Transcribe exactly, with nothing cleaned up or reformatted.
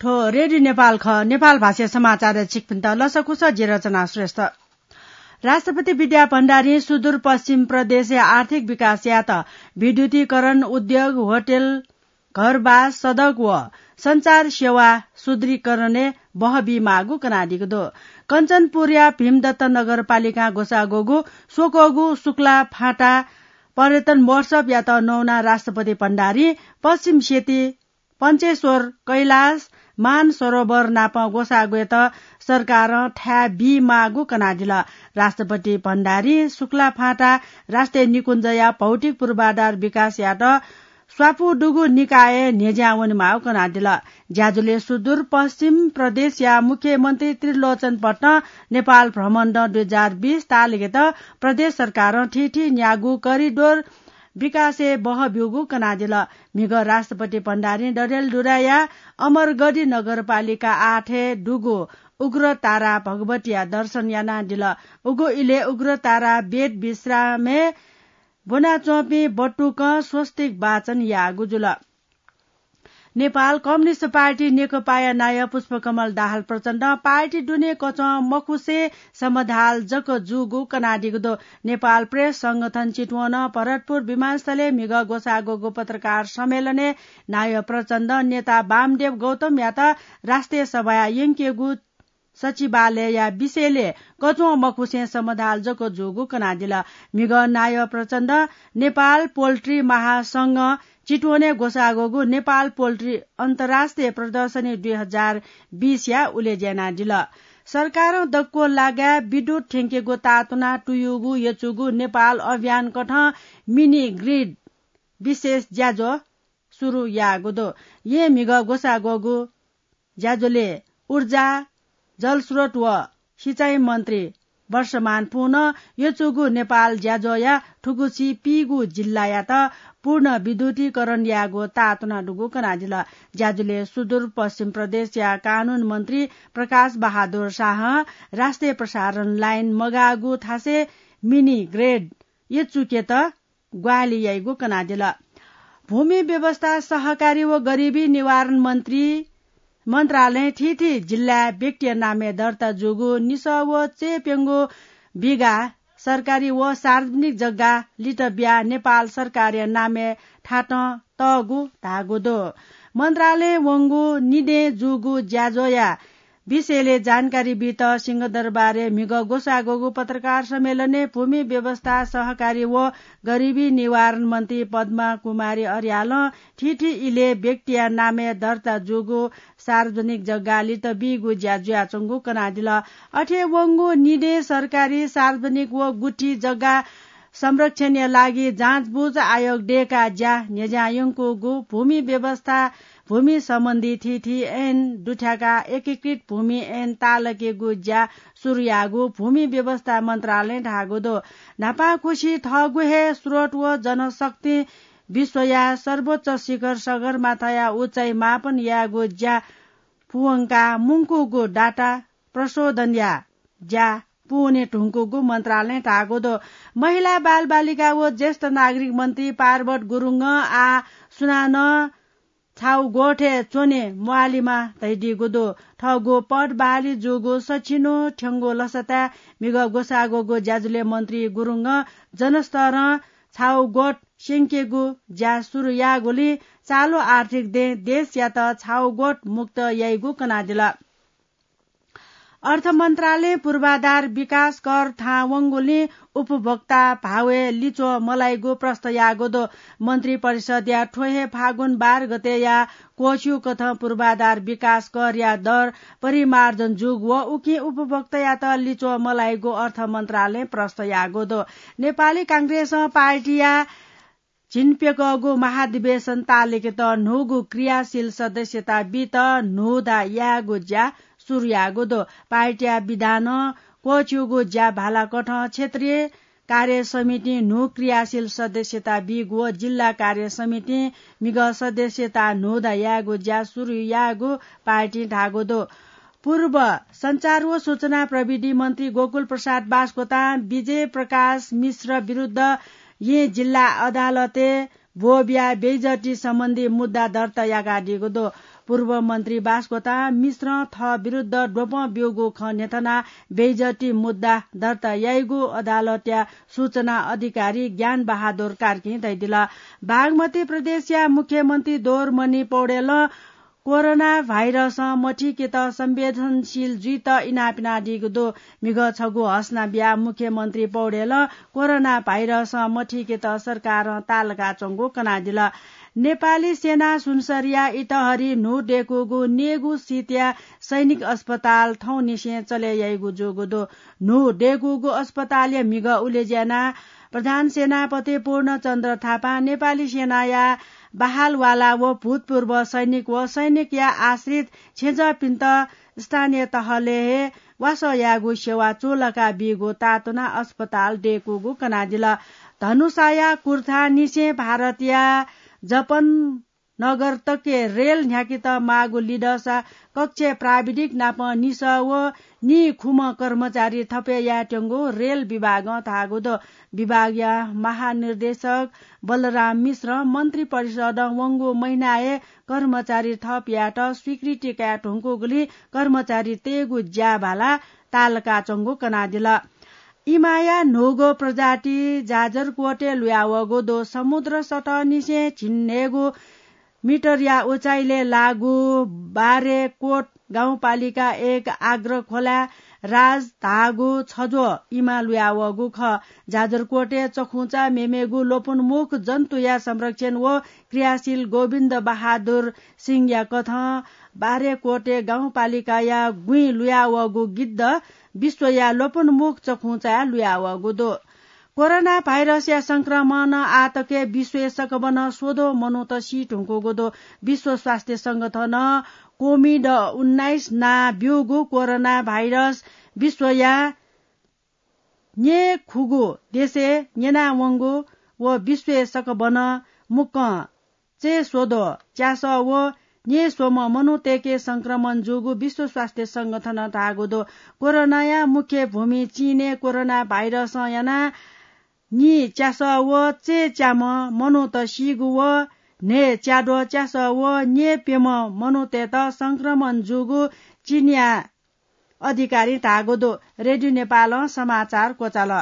थ्व रेडियो नेपाल खः। नेपाल भाषा समाचार छिकपिन्त लसकुस, जि रचना श्रेष्ठ। राष्ट्रपति विद्या भण्डारीं सुदूरपश्चिम प्रदेशया आर्थिक विकास यात। विद्युतीकरण, उद्योग, होटल, घरबास, सडक व सञ्चार सेवा सुदृढीकरणय् बहबी माःगु कनादीगु दु। कञ्चनपुरया भीमदत्त नगरपालिकां ग्वसाः ग्वःगु स्वक्वःगु शुक्ला फाँटा पर्यटन महोत्सवयात नवानाः राष्ट्रपति भण्डारीं पश्चिम सेती, पञ्चेश्वर, कैलाश, मानसरोवर नाप ग्वसाः ग्वयेत सरकारं थाय् बी माःगु कनादिल। राष्ट्रपति भण्डारीं शुक्ला फाँटा राष्ट्रिय निकुञ्जया भौतिक पूर्वाधार विकास यात स्वापू दुगु निकायय् न्ह्यज्यां वनेमाःगु कनादिल। ज्याझ्वलय् सुदूरपश्चिम प्रदेशया मुख्यमन्त्री त्रिलोचन भट्टं नेपाल भ्रमण दुई हजार बीस तालिकेत प्रदेश सरकारं थीथी न्यागू करिडोर विकासय् बहब्यूगु कनादिल। म्हिगः राष्ट्रपति भण्डारीं डडेलधुराया अमरगढी नगरपालिका आठय् दुगु उग्रतारा भगवतीया दर्शन यानादिल। उगु इलय् उग्रतारा बेद विश्रामय् ब्वनाच्वंपिं बटुकं स्वस्तिक वाचन याःगु जुल। नेपाल कम्युनिस्ट पार्टी नेकपाया नायः पुष्पकमल दाहाल प्रचण्डं पार्टी दुने कचं मखुसें समधाल जक जूगु कनादीगु दु। नेपाल प्रेस संगठन चितवनं भरतपुर विमानस्थलय् म्हिगः ग्वसाः ग्वःगु पत्रकार सम्मेलनय् नायः प्रचण्डं नेता वामदेव गौतमयात राष्ट्रिय सभाया यंकेगु सचिवालयया विषयलय् कचं मखुसें समधाल जक जूगु कनादिल। म्हिगः नायः प्रचण्डं नेपाल पोल्ट्री महासंघं चितवनय् ग्वसाः ग्वःगु नेपाल पोल्ट्री अन्तर्राष्ट्रिय प्रदर्शनी दुई हजार बीसया उलेज्या यानादिल। सरकारं दक्व लागाय् विद्युत थ्यंकेगु ताःतुना तुयूगु यचुगु नेपाल अभियानकथं मिनी ग्रिड विशेष ज्याझ्वः सुरु याःगु दु। येँ म्हिगः ग्वसाः ग्वःगु ज्याझ्वलय् ऊर्जा, जलस्रोत व सिँचाइ मन्त्री वर्षमान पुनं यचुगु नेपाल ज्याझ्वःया थुगुसी पीगू जिल्लायात पूर्ण विद्युतीकरण यायेगु ताःतुना दुगु कनादिल। ज्याझ्वलय् सुदूरपश्चिम प्रदेशया कानून मन्त्री प्रकाश बहादुर शाहं राष्ट्रिय प्रसारण लाइन मगाःगु थासय् मिनी ग्रिड यचुकेत ग्वाहालि याइगु कनादिल। भूमि व्यवस्था, सहकारी व गरिबी निवारण मन्त्री मन्त्रालयं थीथी जिल्लाय् व्यक्तिया नामय् दर्ता जूगु निसः व चय्प्यंगू बिघा सरकारी व सार्वजनिक जग्गा लित बियाः नेपाल सरकारया नामय् थातं तःगु धाःगु दु। मन्त्रालयं वंगु निदँय् जूगु ज्याझ्वःया विषयलय् जानकारी बीत सिंहदरबारय् म्हिगः ग्वसाः ग्वःगु पत्रकार सम्मेलनय् भूमि व्यवस्था, सहकारी व गरिबी निवारण मन्त्री पद्मा कुमारी अर्यालं थीथी इलय् व्यक्तिया नामय् दर्ता जूगु सार्वजनिक जग्गा लित बीगु ज्या जुयाच्वंगु कनादिल। अथे वंगु निदँय् सरकारी, सार्वजनिक व गुठी जग्गा संरक्षणया लागि जाँचबुझ आयोग दय्काः ज्या न्ह्यज्यां यंकूगु, भूमि व्यवस्था, भूमि सम्बन्धी थीथी ऐन दुथ्याकाः एकीकृत भूमि ऐन ताःलाकेगु ज्या सुरु याःगु भूमि व्यवस्था मन्त्रालयं धाःगु दु। न्हापांखुसी थःगु हे स्रोत व जनशक्तिं विश्वया सर्वोच्च शिखर सगरमाथाया उचाइ मापन यायेगु ज्या पूवंकाः मुंकूगु डाटा प्रशोधनया ज्या पूवने धुंकूगु मन्त्रालयं धाःगु दु। महिला, बालबालिका व ज्येष्ठ नागरिक मन्त्री पार्वत गुरुङं आः सुनानं छाउगोठय् च्वने म्वाःलेमा धयादीगु दु। थःगु पद बहाली जूगु सछिन्हु थ्यंगु लसताय् म्हिगः ग्वसाः ग्वःगु ज्याझ्वलय् मन्त्री गुरुङं जनस्तरं छाउगोठ स्यंकेगु ज्या सुरु याःगुलिं चालु आर्थिक दँय् देशयात छाउगोठ मुक्त याइगु कनादिल। अर्थ मन्त्रालयं पूर्वाधार विकास कर थाहां वंगुलिं उपभोक्ता भावय् लिच्वः मलाइगु प्रष्ट याःगु दु। मन्त्रिपरिषदया थ्व हे फागुन बाह्र गतेया क्वःछिउकथं पूर्वाधार विकास करया दर परिमार्जन जूगु व उकिं उपभोक्तायात लिच्वः मलाइगु अर्थ मन्त्रालयं प्रष्ट याःगु दु। नेपाली कांग्रेसं पार्टीया झिंप्यकःगु महाधिवेशन ताःलाकेत न्हूगु क्रियाशील सदस्यता बीत न्हूदँ यायेगु ज्या सुरु याःगु दु। पार्टीया विधानं क्वःछिउगु ज्या भालाकथं क्षेत्रीय कार्य समितिं न्हू क्रियाशील सदस्यता बीगु व जिल्ला कार्य समितिं म्हिगः सदस्यता न्हूदँ यायेगु ज्या सुरु याःगु पार्टीं धाःगु दु। पूर्व सञ्चार व सूचना प्रविधि मन्त्री गोकुल प्रसाद बास्कोतां विजय प्रकाश मिश्र विरुद्ध येँ जिल्ला अदालतय् ब्वःबियाः बेइज्जती सम्बन्धी मुद्दा दर्ता याकादीगु दु। पूर्व मन्त्री बास्कोटा मिश्रं थः विरुद्ध द्वपं ब्यूगु खँ न्ह्यथनाः बेइज्जती मुद्दा दर्ता याइगु अदालतया सूचना अधिकारी ज्ञान बहादुर कार्कीं धयादिल। बागमती प्रदेशया मुख्यमन्त्री दोरमणि पौडेलं कोरोना भाइरसं मथिकेत संवेदनशील जुइत इनाप यानादीगु दु। म्हिगः छगू हसना बियाः मुख्यमन्त्री पौडेलं कोरोना भाइरसं मथिकेत सरकारं ताःलाकाच्वंगु कनादिल। नेपाली सेना सुनसरीया इटहरी न्हू दय्कूगु नेगू सितया सैनिक अस्पताल थौंनिसें चले याइगु जूगु दु। न्हू दय्कूगु अस्पतालया म्हिगः उलेज्यानाः प्रधान सेनापति पूर्णचन्द्र थापां नेपाली सेनाया बहालवाला व भूतपूर्व सैनिक व सैनिकया आश्रित छेँजःपिन्त स्थानीय तहले हे वासः यायेगु सेवा चूलाका बीगु ताःतुनाः अस्पताल दय्कूगु कनादिल। धनुषाया कुर्था निसें भारतया जपन नगर तके रेल न्ह्याकेत माःगु लिधःसा कक्ष प्राविधिक नाप निसः व नीखुम्ह कर्मचारी थप यायेत्यंगु रेल विभागं धाःगु दु। विभागया महानिर्देशक बलराम मिश्रं मन्त्री परिषदं वंगु महिनाय् कर्मचारी थप यायेत स्वीकृति काये धुंकूगुलिं कर्मचारी तयेगु ज्याभाला ताःलाकाच्वंगु कनादिल। इमाया न्हूगु प्रजाति जाजरकोटय् लुयावःगु दु। समुद्र सतहनिसें झिंन्हय्गू मिटरया उचाइले लाःगु बारेकोट गाउँपालिका एक आग्रखोला राज धाःगु छज्वः इमा लुयावःगु खः। जाजरकोटय् चखुंचा मेमेगु लोपोन्मुख जन्तुया संरक्षण व क्रियाशील गोविन्द बहादुर सिंहया कथं बारेकोटे गाउँपालिकाया गुँइ लुयावःगु गिद्ध विश्वया लोपोन्मुख चखुंचाय् लुयावःगु दु। कोरोना भाइरसया संक्रमणं आःतकय् विश्वय् सकभनं स्वद्वः मनूत सी धुंकूगु दु। विश्व स्वास्थ्य संगठनं कोभिड उन्नाइस नां ब्यूगु कोरोना भाइरस विश्वया न्येखुगू देशय् न्यनावंगु व विश्वय् सकभनं मुक्कं चय्स्वद्वः च्यासः व न्येस्वम्ह मनूतय्के संक्रमण जूगु विश्व स्वास्थ्य संगठनं धाःगु दु। कोरोनाया मुख्य भूमि चीनय् कोरोना भाइरसं यानाः नीच्यासः व चय्च्याम्ह मनूत सीगु व न्हय्च्याद्वः च्यासः व न्यय्प्यम्ह मनूतय्त संक्रमण जूगु चीनया अधिकारीं धाःगु दु। रेडियो नेपालं समाचार क्वचाल।